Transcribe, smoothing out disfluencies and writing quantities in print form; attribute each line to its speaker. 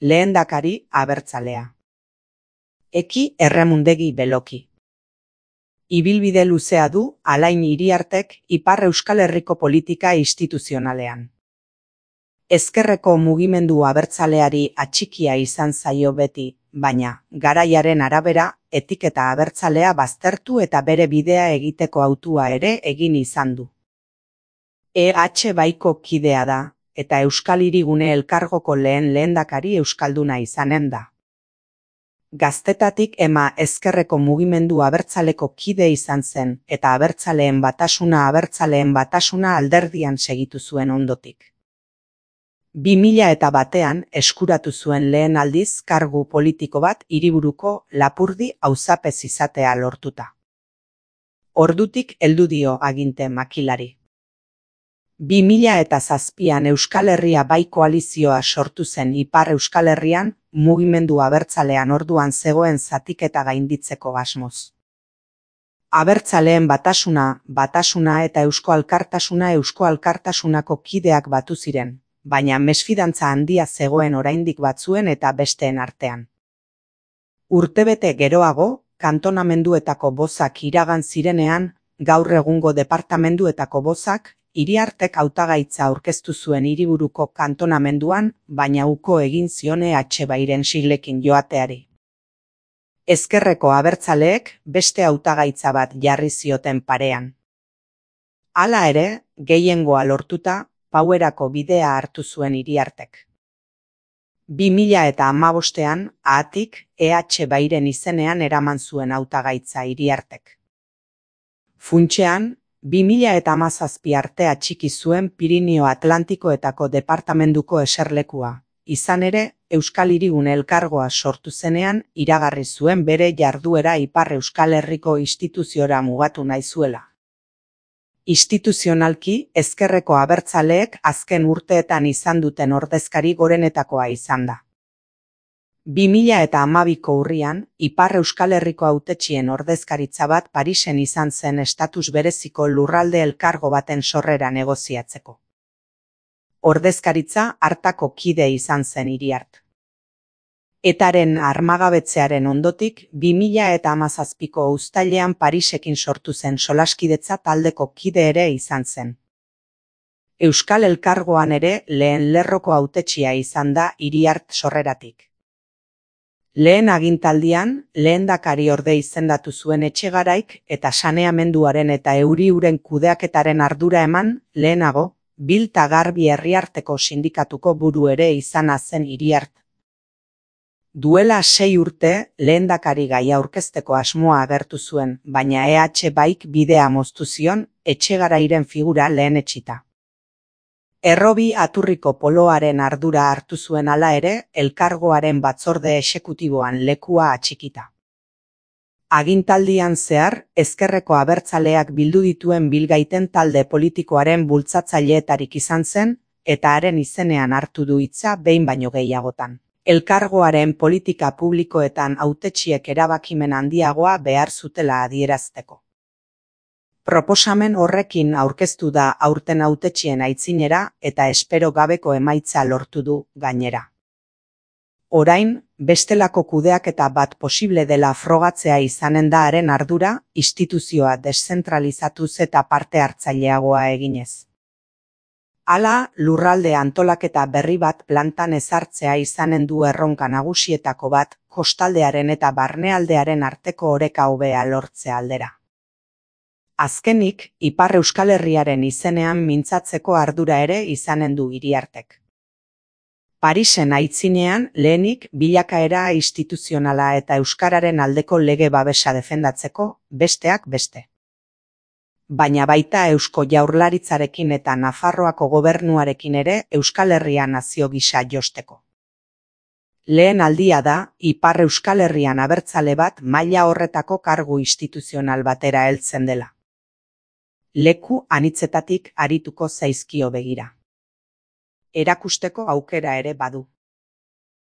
Speaker 1: lehendakari abertzalea. Eki Erremundegi Beloki. Ibilbide luzea du Alain Iriartek Ipar Euskal Herriko politika instituzionalean. Ezkerreko mugimendu abertzaleari atxikia izan zaio beti, baina, garaiaren arabera, etiketa abertzalea baztertu eta bere bidea egiteko hautua ere egin izan du. EH Baiko kidea da, eta Euskal Hirigune Elkargoko lehendakari euskalduna izanen da. Gaztetatik ema ezkerreko mugimendu abertzaleko kide izan zen, eta abertzaleen batasuna alderdian segitu zuen ondotik. 2001an eskuratu zuen lehen aldiz kargu politiko bat Hiriburuko Lapurdi auzapez izatea lortuta. Ordutik heldu dio aginte makilari. 2007an Euskal Herria Bai koalizioa sortu zen Ipar Euskal Herrian, mugimendu abertzalean orduan zegoen zatiketa gainditzeko asmoz. Abertzaleen batasuna eta Eusko Alkartasunako kideak batu ziren, baina mesfidantza handia zegoen oraindik batzuen eta besteen artean. Urtebete geroago, kantonamenduetako bozak iragan zirenean, gaur egungo departamenduetako bozak, Iriartek hautagaitza aurkeztu zuen Hiriburuko kantonamenduan, baina uko egin zion EH Bairen siglekin joateari. Ezkerreko abertzaleek beste hautagaitza bat jarri zioten parean. Hala ere, gehiengoa lortuta, Pauerako bidea hartu zuen Iriartek. 2015an, ahatik, EH Bairen izenean eraman zuen hautagaitza Iriartek. Funtsean, 2017 arte atxiki zuen Pirinio Atlantikoetako departamenduko eserlekua, izan ere, Euskal Hirigune Elkargoa sortu zenean iragarri zuen bere jarduera Ipar Euskal Herriko instituziora mugatu nahi zuela. Instituzionalki, ezkerreko abertzaleek azken urteetan izan duten ordezkari gorenetakoa izan da. 2012ko urrian, Ipar Euskal Herriko hautetsien ordezkaritza bat Parisen izan zen estatus bereziko lurralde elkargo baten sorrera negoziatzeko. Ordezkaritza hartako kide izan zen Iriart. Etaren armagabetzearen ondotik, 2017ko uztailean Parisekin sortu zen solaskidetza taldeko kide ere izan zen. Euskal Elkargoan ere lehen lerroko hautetsia izan da Iriart sorreratik. Lehen agintaldian, lehendakariorde izendatu zuen Etxegaraik eta saneamenduaren eta euri-uren kudeaketaren ardura eman, lehenago, Bilta Garbi Herriarteko sindikatuko buru ere izana zen Iriart. Duela 6 urte, lehendakari gaia aurkezteko asmoa agertu zuen, baina EH Baik bidea moztu zion, Etxegarairen figura lehenetsita. Errobi Aturriko poloaren ardura hartu zuen hala ere, elkargoaren batzorde exekutiboan lekua atxikita. Agintaldian zehar, ezkerreko abertzaleak bildu dituen bilgaiten talde politikoaren bultzatzaileetarik izan zen, eta haren izenean hartu du hitza behin baino gehiagotan. Elkargoaren politika publikoetan hautetsiek erabakimen handiagoa behar zutela adierazteko. Proposamen horrekin aurkeztu da aurten hautetxien aitzinera eta espero gabeko emaitza lortu du gainera. Orain, bestelako kudeaketa bat posible dela frogatzea izanen da haren ardura, instituzioa deszentralizatuz eta parte hartzaileagoa eginez. Hala, lurralde antolaketa berri bat plantan ezartzea izanen du erronka nagusietako bat, kostaldearen eta barnealdearen arteko oreka hobea lortzea aldera. Azkenik, Ipar Euskal Herriaren izenean mintzatzeko ardura ere izanen du Iriartek. Parisen aitzinean, lehenik, bilakaera instituzionala eta euskararen aldeko lege babesa defendatzeko, besteak beste. Baina baita Eusko Jaurlaritzarekin eta Nafarroako gobernuarekin ere Euskal Herria nazio gisa josteko. Lehen aldia da, Ipar Euskal Herrian abertzale bat maila horretako kargu instituzional batera heltzen dela. Leku anitzetatik arituko zaizkio begira. Erakusteko aukera ere badu.